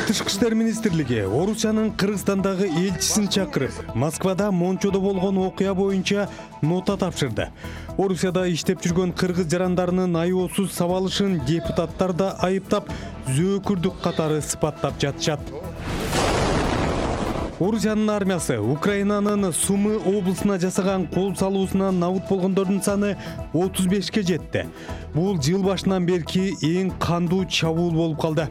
Тышкы иштер министрлиги Орусиянын Кыргызстандагы элчисин чакырып, Москвада Мончодо болгон окуя боюнча нота тапшырды. Орусияда иштеп жүргөн кыргыз жарандарынын айоосуз сабалышын депутаттар да айыптап, зөөкүрдүк катары сыпаттап жатышат. Орусиянын армиясы Украинанын Сумы облусуна жасаган кол салуусунан набыт болгондордун саны 35-ке жетти. Бул жыл башынан берки эң кандуу чабуул болуп калды.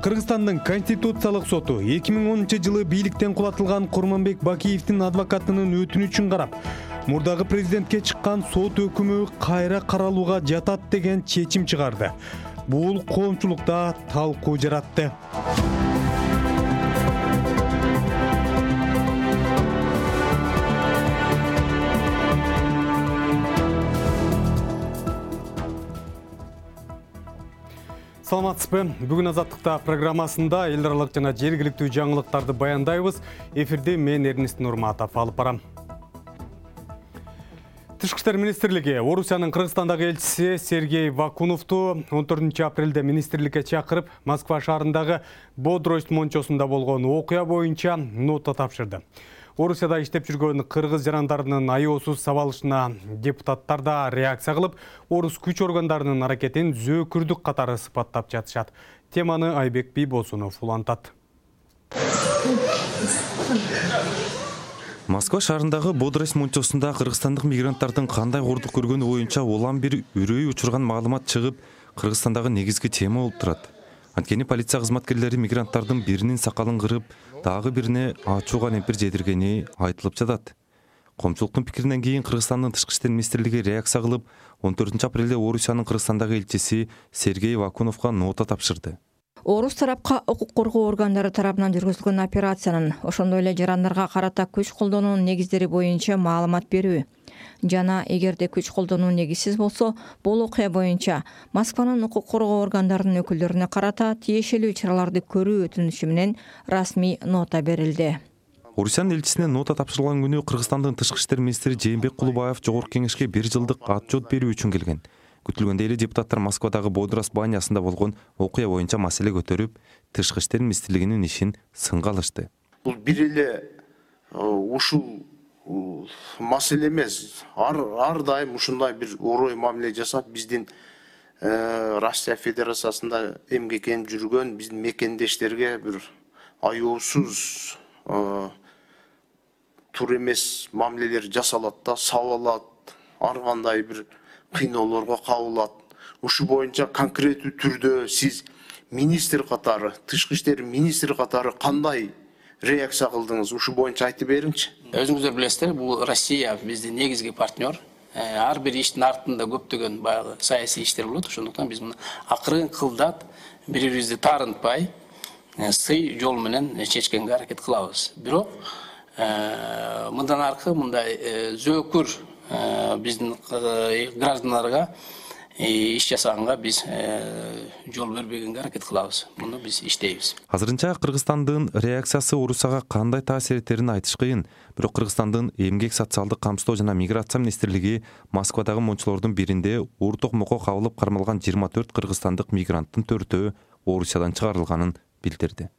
Кыргызстандын Конституциялык соту 2010-жылы бийликтен кулатылган Курманбек Бакиевдин адвокатынын өтүнүчүн карап, мурдагы президентке чыккан сот өкүмү кайра каралууга жатат деген чечим чыгарды. Бул коомчулукта талкуу жаратты. Саламатсызбы? Бүгүн Азаттыкта программасында эл аралык жана жергиликтүү жаңылыктарды баяндайбыз. Эфирде мен Эрнест Нурматов алып барам. Тышкы иштер министрлиги Орусиянын Кыргызстандагы элчиси Сергей Вакуновду 14 апрелде министрликке чакырып, Москва шаарындагы Бодрость мончосунда болгон окуя боюнча нота тапшырды. Орусияда иштеп жүргөн кыргыз жарандарынын айоосуз сабалышына депутаттар да реакция кылып, орус күч органдарынын аракетин зөөкүрдүк катары сыпаттап жатышат. Теманы Айбек Бийбосунов улантат. Москва шаарындагы Бодрость мончосунда кыргызстандык мигранттардын кандай кордук көргөнү боюнча улам бир үрөй учурган маалымат чыгып, Кыргызстандагы негизги тема болуп турат. Анткени полиция кызматкерлери мигранттардын биринин сакалын кырып, дагы бирине ачууга лемпир жедиргени айтылып жатат. Коомчулуктун пикиринен кийин Кыргызстандын Тышкы иштер министрлиги реакция кылып, 14 апрелде Орусиянын Кыргызстандагы элчиси Сергей Вакуновго нота тапшырды. Орус тарапка укук коргоо органдары тарабынан жүргүзүлгөн операциянын, ошондой эле жарандарга карата күч колдонуунун негиздери боюнча маалымат берүү жана эгерде күч колдонуу негизсиз болсо, бул окуя боюнча Москванын укук коргоо органдарынын өкүлдөрүнө карата тиешелүү чараларды көрүү өтүнүшү менен расмий нота берилди. Орусиянын элчисине нота тапшырылган күнү Кыргызстандын Тышкы иштер министри Жээнбек Кулубаев Жогорку кеңешке 1 жылдык отчет берүү үчүн келген. Күтүлгөндөй эле депутаттар Москвадагы Бодрость банясында болгон окуя боюнча маселе көтөрүп, Тышкы иштер министрлигинин ишин сынга алышты. Бул бир эле ушул маселе эмес. Ар дайым ушундай бир орой мамиле жасап, биздин Россия Федерациясында эмгектенип жүргөн биздин мекендештерге бир айоосуз тур эмес мамилелер жасалат да, сабалат, ар кандай бир кыйноолорго кабылат. Ушу боюнча конкреттүү түрдө сиз министр катары, Тышкы иштер министри катары кандай реакция кылдыңыз? Ушу боюнча айтып бериңчи. Өзүңүздөр билесиздер, бул Россия биздин негизги партнер. Ар бир иштин артында көптөгөн баягы саясий иштер болот. Ошондуктан биз муну акырын кылдат, бири-бирибизди таарынтпай, сый жол менен чечкенге аракет кылабыз. Бирок мындан аркы мындай зөөкүр биздин граждандарга иш жасаганга биз жол бербегенге аракет кылабыз. Муну биз иштейбиз. Азырынча Кыргызстандын реакциясы Орусияга кандай таасир этерин айтыш кыйын. Бирок Кыргызстандын эмгек социалдык камсыздоо жана миграция министрлиги Москвадагы мончолордун биринде уур токмокко кабылып кармалган 24 кыргызстандык мигранттын 4-өө Орусиядан чыгарылганын билдирди.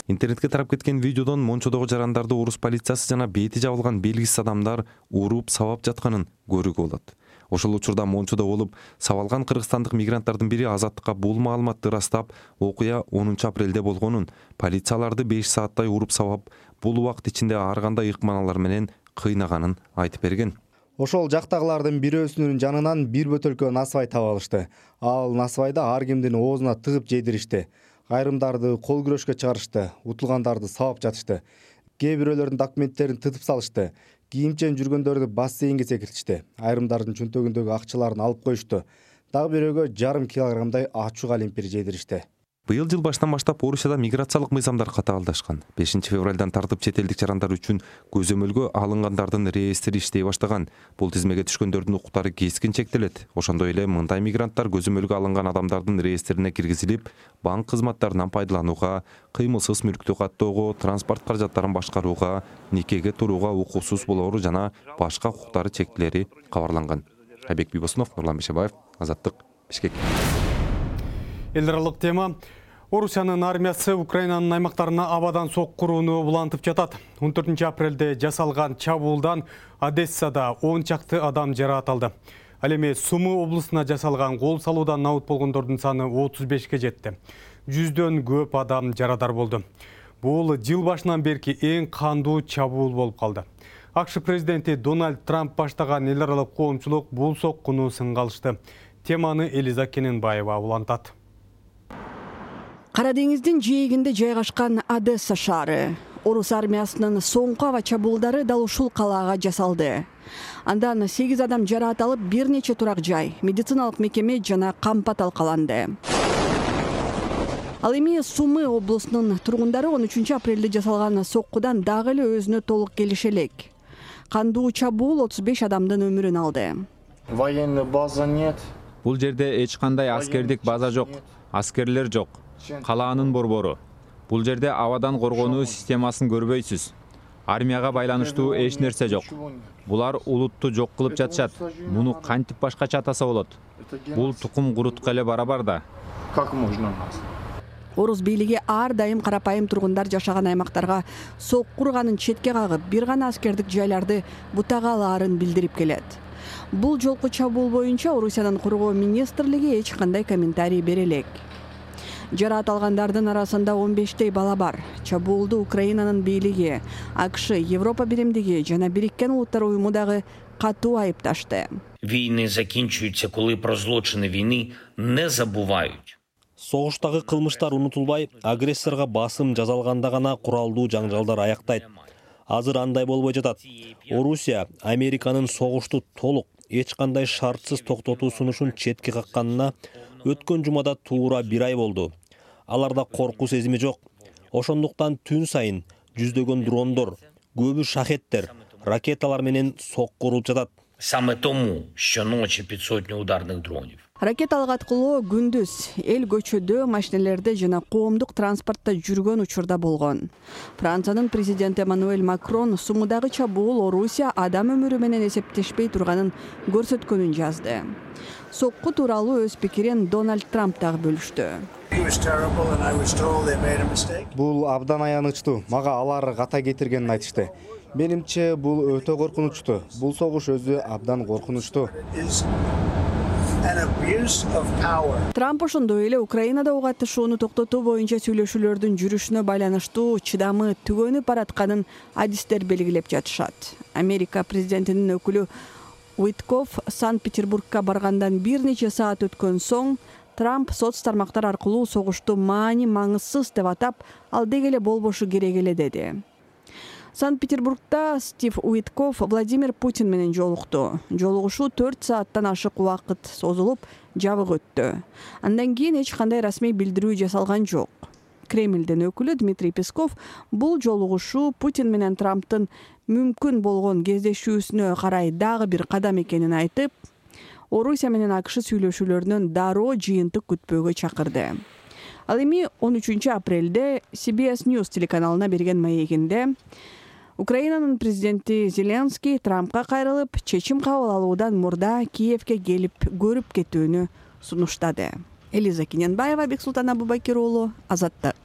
Интернетке тарап кеткен видеодон мончодогу жарандарды орус полициясы жана бети жабылган белгисиз адамдар уруп сабап жатканын көрүүгө болот. Ошол учурда мончодо болуп сабалган кыргызстандык мигранттардын бири Азаттыкка бул маалыматты ырастап, окуя 10 апрелде болгонун, полицияларды 5 сааттай уруп сабап, бул убакыт ичинде ар кандай ыкманалар менен кыйнаганын айтып берген. Ошол жактагылардын бирөөсүнүн жанынан бир бөтөлкө насыбай таап алышты. Ал насыбайды ар кимдин оозуна тыгып жедиришти. Айрымдарды кол күрөшкө чыгарышты, утулгандарды сабап жатышты. Кээ бирөөлөрдүн документтерин тытып салышты. Кийимчен жүргөндөрдү бассейнге секиртишти. Айрымдардын чөнтөгүндөгү акчаларын алып коюшту. Дагы бирөөгө 1,5 килограммдай ачууга лемпир жедиришти. Быйыл жыл башынан баштап Орусияда миграциялык мыйзамдар катаалдашкан. 5 февралдан тартып чет элдик жарандар үчүн көзөмөлгө алынгандардын реестри иштей баштаган. Бул тизмеге түшкөндөрдүн укуктары кескин чектелет. Ошондой эле мындай мигранттар көзөмөлгө алынган адамдардын реестрине киргизилип, банк кызматтарынан пайдаланууга, кыймылсыз мүлктү каттоого, транспорт каражаттарын башкарууга, никеге турууга укуксуз болоору жана башка укуктары чектелери кабарланган. Айбек Бибосунов, Нурлан Бишебаев, Азаттык, Бишкек. Эл аралык тема. Орусиянын армиясы Украинанын аймактарына абадан соккурууну улантып жатат. 14 апрелде жасалган чабуулдан Одессада 10 чакты адам жаракат алды. Ал эми Сумы облусуна жасалган кол салуудан набыт болгондордун саны 35ке жетти. 100дөн көп адам жарадар болду. Бул жыл башынан берки эң кандуу чабуул болуп калды. АКШ президенти Дональд Трамп баштаган эл аралык коомчулук бул соккуну сынга алышты. Теманы Элиза Кененбаева улантат. Кара деңиздин жээгинде жайгашкан Одесса шаары. Орус армиясынын соңку аба чабуулдары дал ушул калаага жасалды. Андан 8 адам жараат алып, бир нече турак жай, медициналык мекеме жана кампа талкаланды. Ал эми Сумы облусунун тургундары 13 апрелде жасалган соккудан дагы эле өзүнө толук келише элек. Кандуу чабуул 35 адамдын өмүрүн алды. Военный база нет. Бул жерде эч кандай аскердик база жок, аскерлер жок. Калаанын борбору. Бул жерде абадан коргонуу системасын көрбөйсүз. Армияга байланыштуу эч нерсе жок. Булар улутту жок кылып жатышат. Муну кантип башкача атаса болот? Бул тукум курутка эле барабар да. Как можно нас? Орус бийлиги ар дайым карапайым тургундар жашаган аймактарга соккурганын четке кагып, бир гана аскердик жайларды бутага алаарын билдирип келет. Бул жолку чабуул боюнча Орусиянын Коргоо министрлиги эч кандай комментарий бере элек. Жараат алгандардын арасында 15 бала бар. Чабуулду Украинанын бийлиги, АКШ, Европа биримдиги жана Бириккен Улуттар уюму дагы катуу айыпташты. Війни закінчуються, коли про злочини війни не забувають. Согуштагы кылмыштар унутулбай, агрессорго басым жазалганда гана куралдуу жаңжалдар аяктайт. Азыр андай болбой жатат. Орусия Американын согушту толук, эч кандай шартсыз токтотуу сунушун четке какканына өткөн жумада туура 1 ай болду. Аларда коркуу сезими жок. Ошондуктан түн сайын жүздөгөн дрондор, көбү шахеттер, ракеталар менен соккурулуп жатат. Саме тому щоночі 500 ударних дронів. Ракеталык аткылоо күндүз эл көчөдө, машинелерде жана коомдук транспортто жүргөн учурда болгон. Франциянын президенти Эммануэль Макрон Сумудагы чабуул Орусия адам өмүрү менен эсептешпей турганын көрсөткөнүн жазды. Сокку тууралуу өз пикирин Дональд Трамп дагы бөлүштү. Бул абдан аянычтуу. Мага алар ката кетиргенин айтышты. Менимче бул өтө коркунучтуу. Бул согуш өзү абдан коркунучтуу. Трамп ошондой эле Украинада ок атышууну токтотуу боюнча сүйлөшүүлөрдүн жүрүшүнө байланыштуу чыдамы түгөнүп баратканын адистер белгилеп жатышат. Америка президентинин өкүлү Уитков Санкт-Петербургка баргандан бир нече саат өткөн соң Трамп соц тармактар аркылуу согушту маанисыз деп атап, ал деги эле болбошу керек эле деди. Санкт-Петербургда Стив Уитков Владимир Путин менен жолукту. Жолугушуу 4 сааттан ашык убакыт созулуп, жабык өттү. Андан кийин эч кандай расмий билдирүү жасалган жок. Кремлдин өкүлү Дмитрий Песков бул жолугушуу Путин менен Трамптын мүмкүн болгон кездешүүсүнө карай дагы бир кадам экенин айтып, Орусия менен АКШ сүйлөшүүлөрүнөн дароо жыйынтык күтпөөгө чакырды. Ал эми 13 апрелде CBS News телеканалына берген маегинде Украинанын президенти Зеленский Трампка кайрылып, чечим кабыл алуудан мурда Киевке келип көрүп кетүүнү сунуштады. Элиза Кененбаева, Бексултан Абубакир уулу, Азаттык.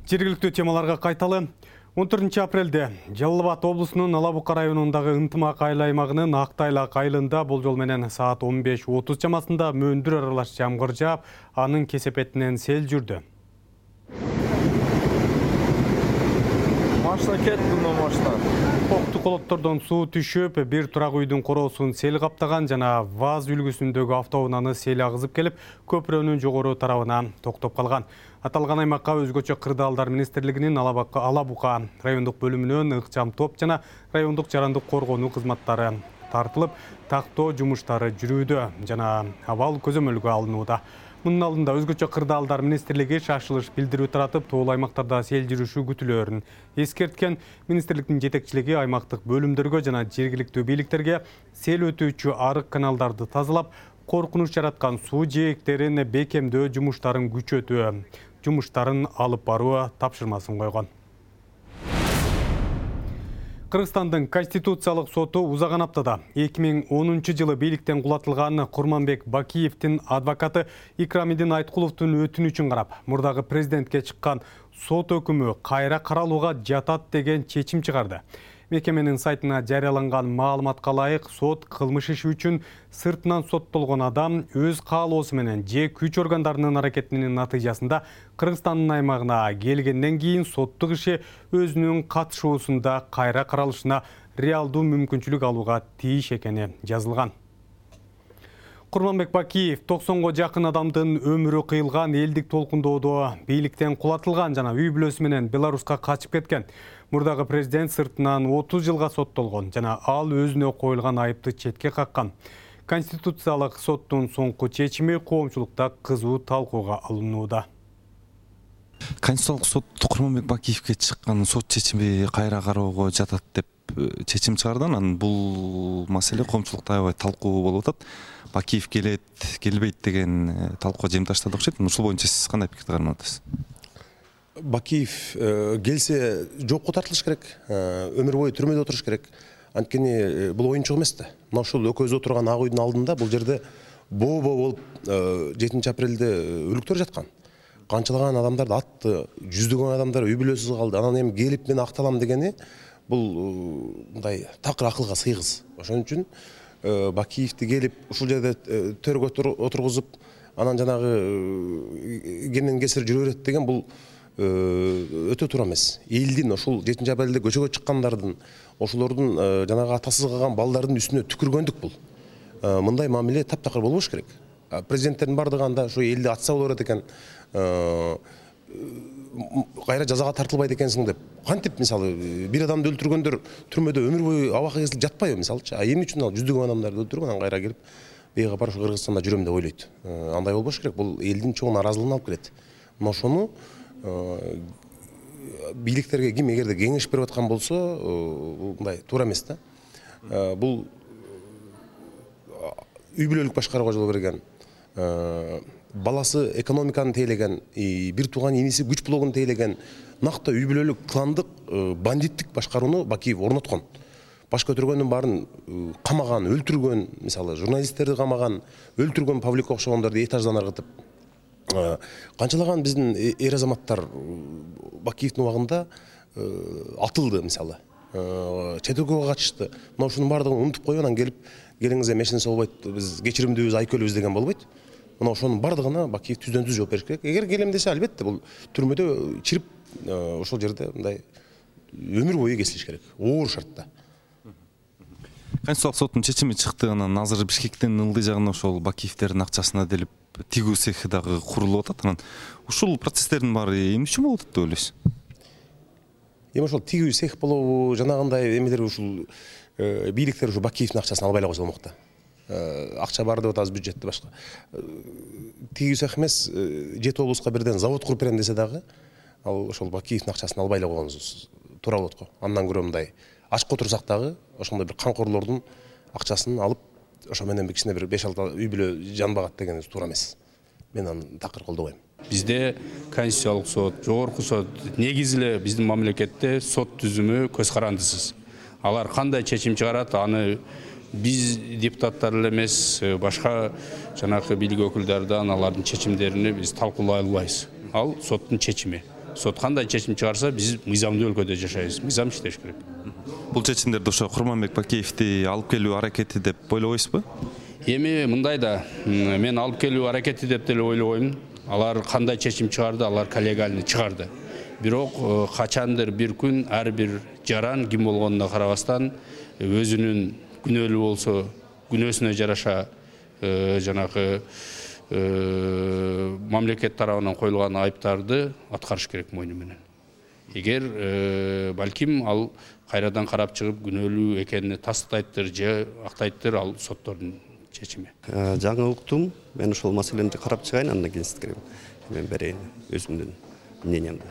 Жергиликтүү темаларга кайталы. 14 апрелде Жалал Абад облусунун Алабука районундагы ынтымак айыл аймагынын Актайлак айылында болжол менен саат 15:30 чамасында мөндүр аралаш жамгыр жаап, анын кесепетинен сел жүрдү. Машина кетти, машина. Окту колоттордон суу түшүп, бир турак үйдүн короосун сел каптаган жана ВАЗ үлгүсүндөгү автоунааны сел агызып келип, көпүрөнүн жогору тарабына токтоп калган. Аталган аймакка өзгөчө кырдаалдар министрлигинин Алабука райондук бөлүмүнөн ыкчам топ жана райондук жарандык коргонуу кызматтары тартылып, тактоо жумуштары жүрүүдө жана абал көзөмөлгө алынууда. Мунун алдында өзгөчө кырдаалдар министрлиги шашылыш билдирүү таратып, тоол аймактарда сел жүрүшү күтүлөөрүн эскерткен. Министрликтин жетекчилиги аймактык бөлүмдөргө жана жергиликтүү бийликтерге сел өтүүчү арык каналдарды тазалап, коркунуч жараткан суу жээктерин бекемдөө жумуштарын күчөтүү, жумуштарын алып баруу тапшырмасын койгон. Кыргызстандын Конституциялык соту узаган аптада 2010 жылы бийликтен кулатылган Курманбек Бакиевдин адвокаты Икрамидин Айткуловдун өтүнүчүн карап, мурдагы президентке чыккан сот өкүмү кайра каралууга жатат деген чечим чыгарды. Мекеменин сайтына жарыяланган маалыматка ылайык, сот кылмыш иши үчүн сыртынан соттолгон адам өз каалоосу менен же күч органдарынын аракетинин натыйжасында Кыргызстандын аймагына келгенден кийин соттук иши өзүнүн катышуусунда кайра каралышына реалдуу мүмкүнчүлүк алууга тийиш экени жазылган. Курманбек Бакиев 90го жакын адамдын өмүрү кыйылган элдик толкундоодо бийликтен кулатылган жана үй бүлөсү менен Беларуска качып кеткен. Мурдагы президент сыртынан 30 жылга соттолгон жана ал өзүнө коюлган айыпты четке каккан. Конституциялык соттун соңку чечими коомчулукта кызуу талкууга алынууда. Конституциялык сот Курманбек Бакиевге чыккан сот чечими кайра кароого жатат деп чечим чыгарды. Анан бул маселе коомчулукта аябай талкуу болуп атат. Бакиев келет, келбейт деген талкуу жемташтады окшойт. Ушул боюнча сиз кандай пикирди кармап атасыз? Бакиев келсе жокко тартылыш керек, өмүр бою түрмөдө отуруш керек. Анткени бул оюнчук эмес да. Мына ушул экөөбүз отурган ак үйдүн алдында бул жерде боо-боо болуп 7 апрелде өлүктөр жаткан. Канчалаган адамдарды атты, жүздөгөн адамдар үй бүлөсүз калды. Анан эми келип мен акталам дегени бул мындай такыр акылга сыйгыз. Ошон үчүн Бакиевди келип ушул жерде төргө отургузуп, анан жанагы кемден кесир жүрө берет деген бул өтө туура эмес. Элдин ошол 7 апрелде көчөгө чыккандардын, ошолордун жанагы атасыз калган балдардын үстүнө түкүргөндүк бул. Мындай мамиле таптакыр болбош керек. Президенттердин бардыгы анда ушу элди атса боло берет экен, кайра жазага тартылбайт экенсиң деп. Кантип мисалы бир адамды өлтүргөндөр түрмөдө өмүр бою абакка кесилип жатпайбы мисалчы? Эмне үчүн ал жүздөгөн адамдарды өлтүрүп анан кайра келип бейгапар ушу Кыргызстанда жүрөм деп ойлойт. Андай болбош керек. Бул элдин чоң наразылыгын алып келет. Мына ошону бийликтерге ким эгерде кеңеш берип аткан болсо, мындай туура эмес да. Бул үй бүлөлүк башкарууга жол берген, баласы экономиканы тейлеген, бир тууган иниси күч блогун тейлеген, накта үй бүлөлүк кландык бандиттик башкарууну Бакиев орноткон. Баш көтөргөндүн баарын камаган, өлтүргөн, мисалы журналисттерди камаган, өлтүргөн Павлик окшогондорду этаждан ыргытып. Канчалаган биздин эр азаматтар Бакиевдин убагында атылды мисалы. Чет өлкөгө качышты. Мына ушунун баардыгын унутуп коюп анан келип келиңиз эми эч нерсе болбойт, биз кечиримдүүбүз, айкөлүбүз деген болбойт. Мына ошонун баардыгына Бакиев түздөн түз жооп бериш керек. Эгер келем десе, албетте бул түрмөдө чирип ошол жерде мындай өмүр бою кесилиш керек. Оор шартта. Конституциялык соттун чечими чыкты, анан азыр Бишкектин ылдый жагына ошол Бакиевдердин акчасына делип тигүү цехи дагы курулуп атат. Анан ушул процесстердин баары эмне үчүн болуп атат деп ойлойсуз? Эми ошол тигүү цех болобу, жанагындай эмелер ушул бийликтер ушу Бакиевдин акчасын албай эле койсо болмок да. Акча бар деп атабыз, бюджетте башка. Тигүү цех эмес, жети облуска бирден завод куруп берем десе дагы, ал ошол Бакиевдин акчасын албай эле койгонубуз туура болот го. Андан көрө мындай ачка отурсак дагы ошондой бир камкорлордун акчасын алып, ошо менен бир кичине бир 5-6 үй бүлө жанбагат дегенибиз туура эмес. Мен аны такыр колдобойм. Бизде Конституциялык сот, жогорку сот, негизи эле биздин мамлекетте сот түзүмү көз карандысыз. Алар кандай чечим чыгарат, аны биз депутаттар эле эмес, башка жанакы бийлик өкүлдөрдөн алардын чечимдеrini биз талкуулай албайбыз. Ал соттун чечими. Сот кандай чечим чыгарса, биз мыйзамдуу өлкөдө жашайбыз. Мыйзам иштеш керек. Бул чечимдерди ошо Курманбек Бакиевди алып келүү аракети деп ойлобойсузбу? Эми мындай да, мен алып келүү аракети деп деле ойлобойм. Алар кандай чечим чыгарды, алар коллегиальный чыгарды. Бирок качандыр бир күн ар бир жаран ким болгонуна карабастан өзүнүн күнөөлүү болсо, күнөөсүнө жараша жанагы мамлекет тарабынан коюлган айыптарды аткарыш керек мойну менен. Эгер балким ал кайрадан карап чыгып күнөөлүү экенине тастайттыр же актайттыр, ал соттордун чечими. Жаңы уктум, мен ошол маселени карап чыгайын, андан кийин сизге мен берейин өзүмдүн мнениямды.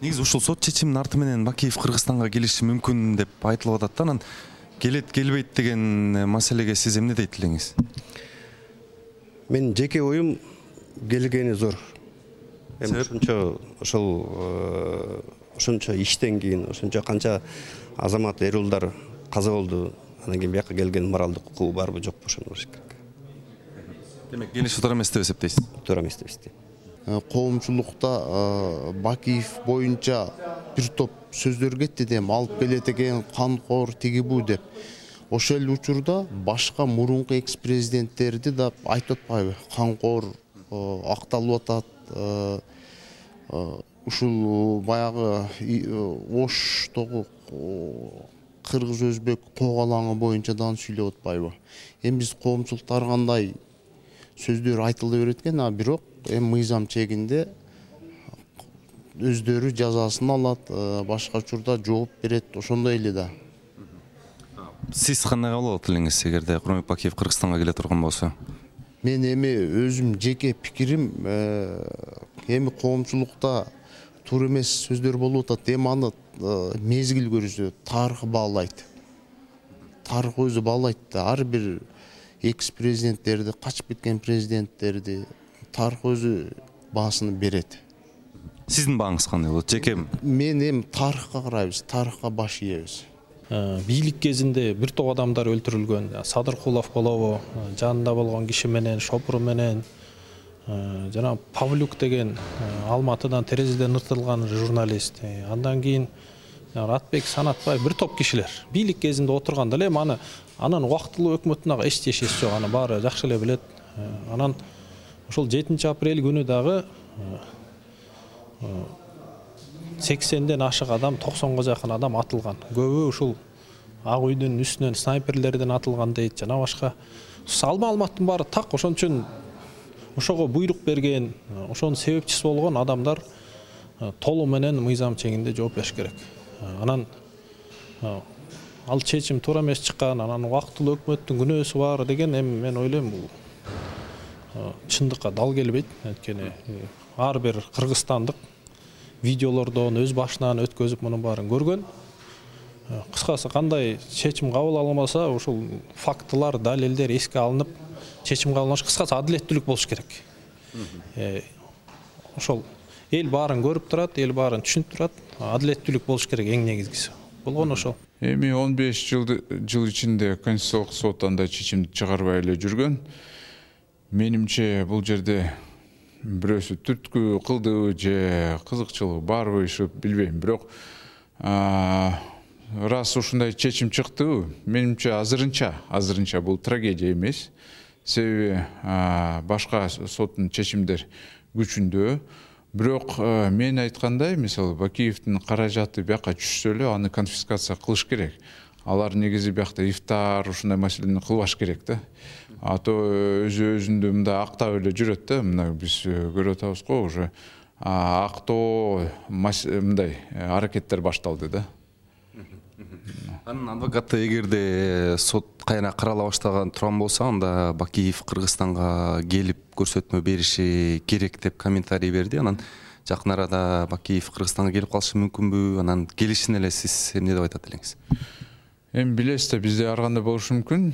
Негизи ушул сот чечиминин арты менен Бакиев Кыргызстанга келиши мүмкүн деп айтылып атат. Анан келет келбейт деген маселеге сиз эмне дейт элеңиз? Мен жеке оюм келгени зор. Эми ошончо ошончо иштен кийин ошончо канча азамат эр уулдар каза болду. Анан кийин бияка келген моралдык укугу барбы жокпу ошону көрүш керек. Демек келиши туура эмес деп эсептейсиз? Туура эмес деп эсептейм. Коомчулукта Бакиев боюнча бир топ сөздөр кетти деп алып келет экен, канкор тиги бу деп. Ошол эле учурда башка мурунку экс-президенттерди да айтып атпайбы? Канкор акталып атат. Ушул баягы Оштогу кыргыз өзбек когалаңы боюнча да сүйлөп атпайбы? Эми биз коомчулукта ар кандай сөздөр айтыла берет экен, а бирок эми мыйзам чегинде өздөрү жазасын алат, башка учурда жооп берет, ошондой эле да. Сиз кандай кабыл алат элеңиз эгерде Курманбек Бакиев Кыргызстанга келе турган болсо? Мен эми өзүм жеке пикирим, эми коомчулукта туура эмес сөздөр болуп атат. Эми аны мезгил көрсөтөт, тарых баалайт. Тарых өзү баалайт да. Ар бир экс-президенттерди, качып кеткен президенттерди тарых өзү баасын берет. Сиздин бааңыз кандай болот? Жеке мен эми тарыхка карайбыз, тарыхка баш ийебиз. Бийлик кезинде бир топ адамдар өлтүрүлгөн. Садыркулов болобу, жанында болгон киши менен, шопуру менен, жана Павлюк деген Алматыдан терезеден ыртылган журналист. Андан кийин Ратбек, Санатбай бир топ кишилер бийлик кезинде отурганда эле анан убактылуу өкмөттүн ага эч тиешеси жок, аны баары жакшы эле билет. Анан ошол 7 апрель күнү дагы 80ден ашык адам, 90га жакын адам атылган. Көбү ушул Ак үйдүн үстүнөн снайперлерден атылган дейт, жана башка. Маалыматтын баары так, ошон үчүн ошого буйрук берген, ошонун себепчиси болгон адамдар толугу менен мыйзам чегинде жооп бериш керек. Анан ал чечим туура эмес чыккан, анан убактылуу өкмөттүн күнөөсү бар деген эми мен ойлойм бул чындыкка дал келбейт. Анткени ар бир кыргызстандык видеолордон өз башынан өткөзүп мунун баарын көргөн. Кыскасы кандай чечим кабыл алынбаса, ушул фактылар, далилдер эске алынып, чечим кабыл алыныш, кыскасы адилеттүүлүк болуш керек. Ошол эл баарын көрүп турат, эл баарын түшүнүп турат, адилеттүүлүк болуш керек эң негизгиси. Болгон ошол. Эми 15 жыл ичинде Конституциялык сот андай чечимди чыгарбай эле жүргөн. Менимче бул жерде бирөөсү түрткү кылдыбы же кызыкчылыгы барбы, билбейм. Бирок раз ушундай чечим чыктыбы, менимче азырынча бул трагедия эмес. Себеби башка соттун чечимдер күчүндө. Бирок мен айткандай, мисалы Бакиевдин каражаты бияка түшсө эле аны конфискация кылыш керек. Алар негизи биякта ифтар ушундай маселени кылбаш керек да. А то өзүндү мындай актап эле жүрөт да. Мына биз көрүп атабыз го, уже актоо мындай аракеттер башталды да. Анын адвокаты эгерде сот кайра карала баштаган турган болсо, анда Бакиев Кыргызстанга келип көрсөтмө бериши керек деп комментарий берди. Анан жакын арада Бакиев Кыргызстанга келип калышы мүмкүнбү? Анан келишин эле сиз эмне деп айтат элеңиз? Эми билесиз да, бизде ар кандай болушу мүмкүн.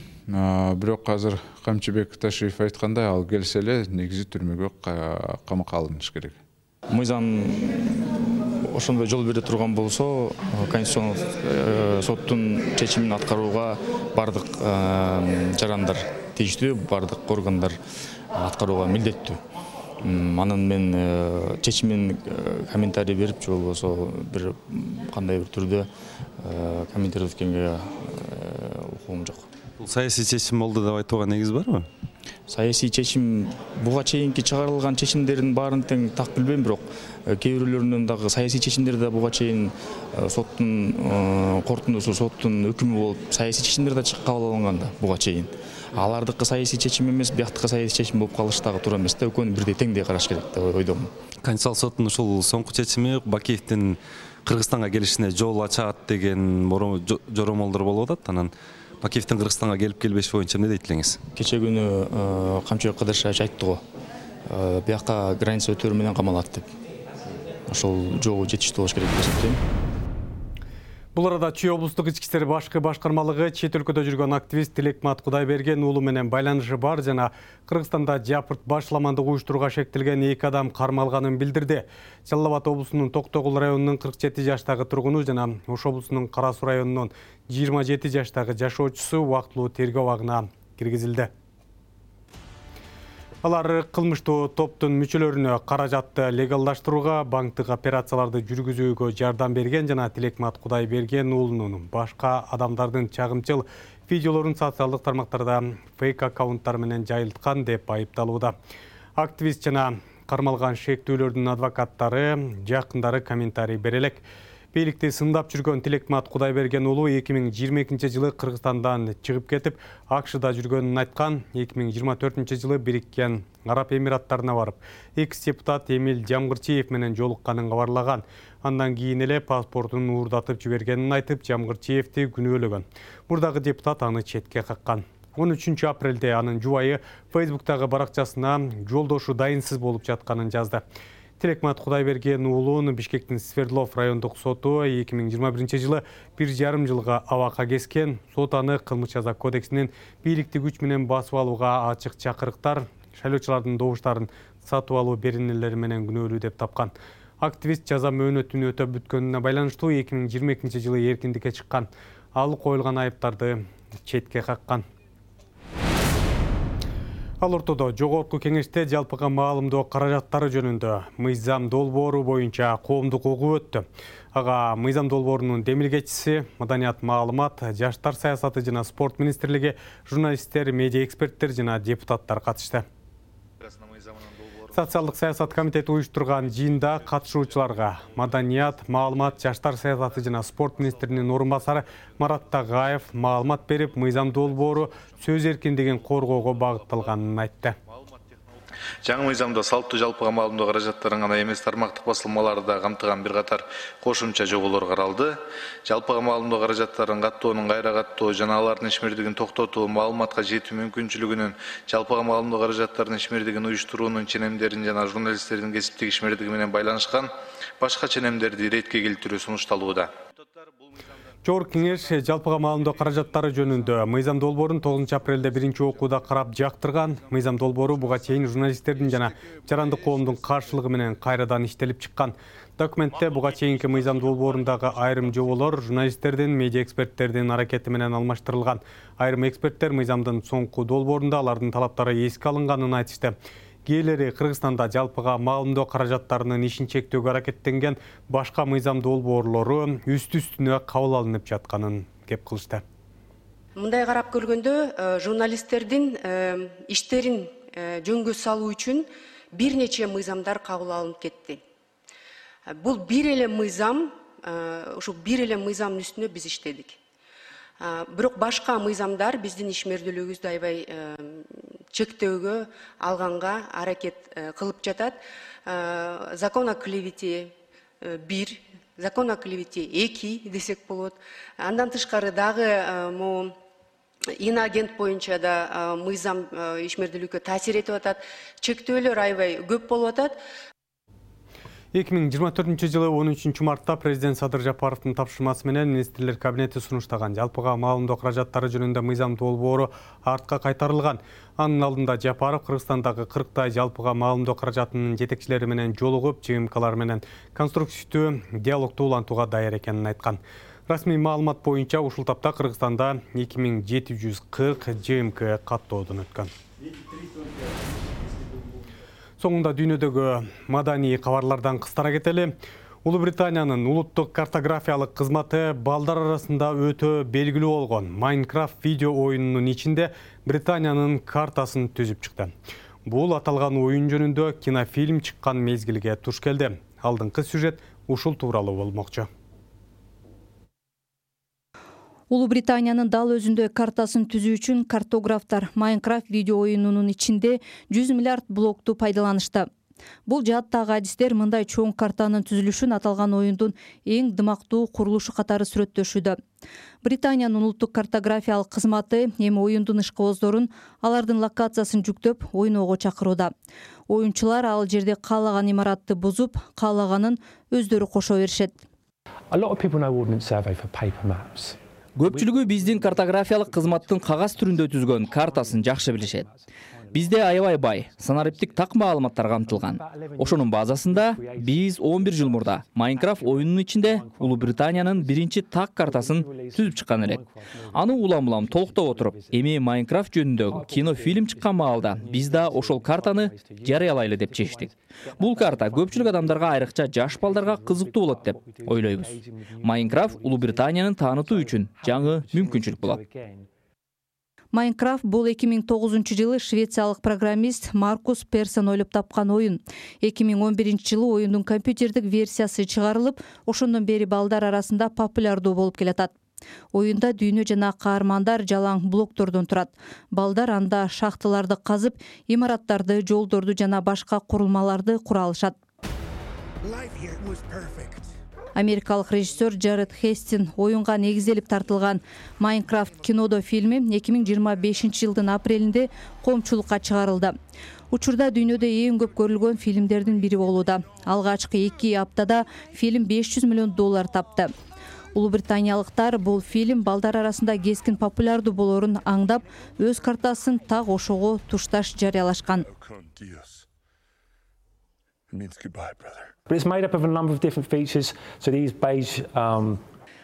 Бирок азыр Камчыбек Ташиев айткандай, ал келсе эле негизи түрмөгө камакка алыныш керек. Мыйзам ошондой жол бере турган болсо, Конституциялык соттун чечимин аткарууга бардык жарандар тийиштүү, бардык органдар аткарууга милдеттүү. Анын мен чечимин комментарий берип же болбосо бир кандай бир түрдө комментировать эткенге укугум жок. Бул саясий чечим болду деп айтууга негиз барбы? Саясий чечим, буга чейинки чыгарылган чечимдердин баарын тең так билбейм, бирок кээ бирлөрүнүн дагы саясий чечимдер да буга чейин соттун корутундусу, соттун өкүмү болуп, саясий чечимдер да кабыл алынган да буга чейин. Алардыкы саясий чечим эмес, бияктыкы саясий чечим болуп калышы дагы туура эмес да, экөөнү бирдей теңдей караш керек деп ойдомун. Конституциялык соттун ушул соңку чечими Бакиевдин Кыргызстанга келишине жол ачат деген жоромолдор болуп атат. Анан Бакиевдин Кыргызстанга келип келбеш боюнча эмне дейт элеңиз? Кече күнү Камчыбек Кыдыршевич айтты го, бияка граница өтөрү менен камалат деп. Ошол жолу жетиштүү болуш керек деп эсептейм. Бул арада Чүй облустук ички иштер башкармалыгы чет өлкөдө жүргөн активист Тилекмат Кудайберген уулу менен байланышы бар жана Кыргызстанда жапырт башламандык уюштурууга шектелген 2 адам кармалганын билдирди. Жалал Абад облусунун Токтогул районунун 47 жаштагы тургуну жана Ош облусунун Кара Суу районунун 27 жаштагы жашоочусу убактылуу тергөө абагына киргизилди. Алар кылмыштуу топтун мүчөлөрүнө каражатты легалдаштырууга, банктык операцияларды жүргүзүүгө жардам берген жана Тилекмат Кудайберген уулунун башка адамдардын чагымчыл видеолорун социалдык тармактарда фейк аккаунттар менен жайылткан деп айыпталууда. Активист жана кармалган шектүүлөрдүн адвокаттары, жакындары комментарий бере элек. Бийликти сындап жүргөн Тилекмат Кудайберген уулу 2022 жылы Кыргызстандан чыгып кетип, АКШда жүргөнүн айткан. 2024 жылы Бириккен Араб Эмираттарына барып, экс-депутат Эмил Жамгырчиев менен жолукканын кабарлаган. Андан кийин эле паспортун уурдатып жибергенин айтып, Жамгырчиевди күнөөлөгөн. Мурдагы депутат аны четке каккан. 13 апрелде анын жубайы Facebooktагы баракчасына жолдошу дайынсыз болуп жатканын жазды. Тилекмат Кудайберген уулун Бишкектин Свердлов райондук соту 2021 жылы 1,5 жылга абакка кескен. Сот аны кылмыш жаза кодексинин бийликти күч менен басып алууга ачык чакырыктар, шайлоочулардын добуштарын сатып алуу беренелери менен күнөөлүү деп тапкан. Активист жаза мөөнөтүн өтөп бүткөнүнө байланыштуу 2022 жылы эркиндикке чыккан. Ал коюлган айыптарды четке каккан. Ал ортодо жогорку кеңеште жалпыга маалымдоо каражаттары жөнүндө мыйзам долбоору боюнча коомдук угуу өттү. Ага мыйзам долбоорунун демилгечиси, маданият, маалымат, жаштар саясаты жана спорт министрлиги, журналисттер, медиа эксперттер жана депутаттар катышты. Социалдык саясат комитети уюштурган жыйында катышуучуларга маданият, маалымат, жаштар саясаты жана спорт министринин орун басары Марат Тагаев маалымат берип, мыйзам долбоору сөз эркиндигин коргоого багытталганын айтты. Жаңы мыйзамда салттуу жалпыга маалымдоо каражаттарын гана эмес тармактык басылмаларды да камтыган бир катар кошумча жоболор каралды. Жалпыга маалымдоо каражаттарын каттоонун, кайра каттоо жана алардын ишмердигин токтотуу, маалыматка жетүү мүмкүнчүлүгүнүн, жалпыга маалымдоо каражаттарынын ишмердигин уюштуруунун ченемдерин жана журналисттердин кесиптик ишмердиги менен байланышкан башка ченемдерди иретке келтирүү сунушталууда. Жогорку кеңеш жалпыга маалымдоо каражаттары жөнүндө мыйзам долбоорун 9 апрелде биринчи окууда карап жактырган. Мыйзам долбоору буга чейин журналисттердин жана жарандык коомдун каршылыгы менен кайрадан иштелип чыккан. Документте буга чейинки мыйзам долбоорундагы айрым жоболор журналисттердин, медиа эксперттердин аракети менен алмаштырылган. Айрым эксперттер мыйзамдын соңку долбоорунда алардын талаптары эске алынганын айтышты. Кээрлери Кыргызстанда жалпыга маалымдоо каражаттарынын ишин чектөөгө аракеттенген башка мыйзам долбоорлору үстү-үстүнө кабыл алынып жатканын кеп кылышты. Мындай карап көргөндө журналисттердин иштерин жөнгө салуу үчүн бир нече мыйзамдар кабыл алынып кетти. Бул бир эле мыйзам, ушу бир эле мыйзамдын үстүнө биз иштедик. Бирок башка мыйзамдар биздин ишмердүүлүгүбүздү аябай чектөөгө алганга аракет кылып жатат. Закон о клевете 1, закон о клевете 2 десек болот. Андан тышкары дагы могу иноагент боюнча да мыйзам ишмердүүлүккө таасир этип атат. Чектөөлөр аябай көп болуп атат. 2024 жылы 13 мартта президент Садыр Жапаровдун тапшырмасы менен министрлер кабинети сунуштаган жалпыга маалымдоо каражаттары жөнүндө мыйзам долбоору артка кайтарылган. Анын алдында Жапаров Кыргызстандагы 40 жалпыга маалымдоо каражатынын жетекчилери менен жолугуп, ЖМКлар менен конструктивдүү диалогду улантууга даяр экенин айткан. Расмий маалымат боюнча ушул тапта Кыргызстанда 2740 ЖМК каттоодон өткөн. Соңунда дүйнөдөгү маданий кабарлардан кыстара кетели. Улуу Британиянын улуттук картографиялык кызматы балдар арасында өтө белгилүү болгон Minecraft видео оюнунун ичинде Британиянын картасын түзүп чыкты. Бул аталган оюн жөнүндө кинофильм чыккан мезгилге туш келди. Алдыңкы сюжет ушул тууралуу болмокчу. Улуу Британиянын дал өзүндө картасын түзүү үчүн картографтар Minecraft видео оюнунун ичинде 100 миллиард блокту пайдаланышты. Бул жааттагы адистер мындай чоң картанын түзүлүшүн аталган оюндун эң дымактуу курулушу катары сүрөттөшүүдө. Британиянын улуттук картографиялык кызматы эми оюндун ишкыбоздорун алардын локациясын жүктөп ойноого чакырууда. Оюнчулар ал жерде каалаган имаратты бузуп, каалаганын өздөрү кошо беришет. Көпчүлүгү биздин картографиялык кызматтын кагаз түрүндө түзгөн картасын жакшы билишет. Бизде аябай бай, санариптик так маалыматтар камтылган. Ошонун базасында биз 11 жыл мурда Minecraft оюнунун ичинде Улуу Британиянын биринчи так картасын түзүп чыккан элек. Аны улам толуктоп отуруп, эми Minecraft жөнүндөгү кинофильм чыккан маалда биз да ошол картаны жарыялайлы деп чечтик. Бул карта көпчүлүк адамдарга, айрыкча жаш балдарга кызыктуу болот деп ойлойбуз. Minecraft Улуу Британиянын таанытуу үчүн жаңы мүмкүнчүлүк болот. Minecraft бул 2009 жылы швециялык программист Маркус Персон ойлоп тапкан оюн. 2011 жылы оюндун компьютердик версиясы чыгарылып, ошондон бери балдар арасында популярдуу болуп келатат. Оюнда дүйнө жана каармандар жалаң блоктордон турат. Балдар анда шахталарды казып, имараттарды, жолдорду жана башка курулмаларды кура алышат. Америкалык режиссер Джаред Хестин оюнга негизделип тартылган Minecraft кинодо фильми 2025 жылдын апрелинде коомчулукка чыгарылды. Учурда дүйнөдө эң көп көрүлгөн фильмдердин бири болууда. Алгачкы 2 аптада фильм $500 миллион тапты. Улуу британиялыктар бул фильм балдар арасында кескин популярдуу болорун аңдап, өз картасын так ошого тушташ жарыялашкан.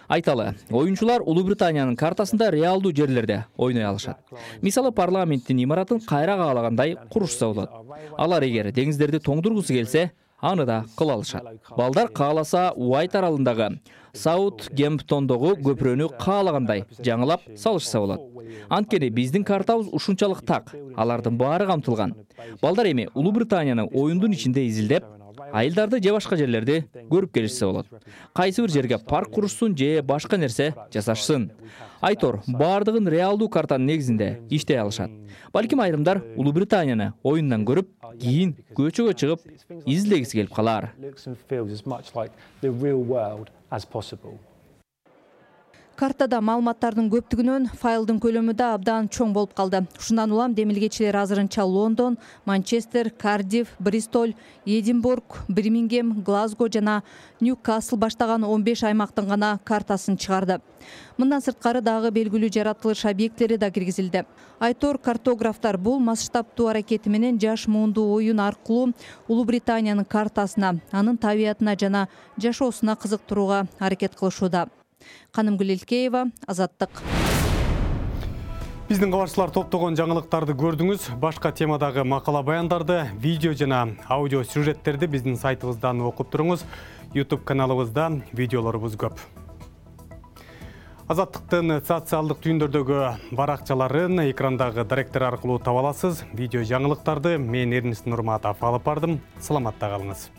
Айталы, оюнчулар Улуу Британиянын картасында реалдуу жерлерде ойной алышат. Мисалы, парламенттин имаратын кайра каалагандай курушса болот. Алар эгер деңиздерди тоңдургусу келсе, аны да кыла алышат. Балдар кааласа Уайт аралындагы Саутгемптондогу көпүрөнү каалагандай жаңылап салышса болот. Анткени биздин картабыз ушунчалык так, алардын баары камтылган. Балдар эми Улуу Британиянын оюндун ичинде изилдеп, айылдарды же башка жерлерди көрүп келишсе болот. Кайсы бир жерге парк курушсун же башка нерсе жасашсын. Айтор, баардыгын реалдуу картанын негизинде иштей алышат. Балким айрымдар Улуу Британияны оюндан көрүп, кийин көчөгө чыгып, изилдегиси келип калар. Картада маалыматтардын көптүгүнөн файлдын көлөмү да абдан чоң болуп калды. Ушундан улам демилгечилер азырынча Лондон, Манчестер, Кардифф, Бристоль, Эдинбург, Бирмингем, Глазго жана Ньюкасл баштаган 15 аймактын гана картасын чыгарды. Мындан сырткары дагы белгилүү жаратылыш объекттери да киргизилди. Айтор, картографтар бул масштабтуу аракети менен жаш муунду оюн аркылуу Улуу Британиянын картасына, анын табиятына жана жашоосуна кызыктырууга аракет кылышууда. Канымгүл Илкеева, Азаттык. Биздин кабарчылар топтогон жаңылыктарды көрдүңүз. Башка темадагы макала баяндарды, видео жана аудио сюжеттерди биздин сайтыбыздан окуп туруңуз. YouTube каналыбызда видеолорубуз көп. Азаттыктын социалдык түйүндөрдөгү баракчаларын экрандагы директор аркылуу таба аласыз. Видео жаңылыктарды мен Эрнис Нурматов алып бардым. Саламатта калыңыз.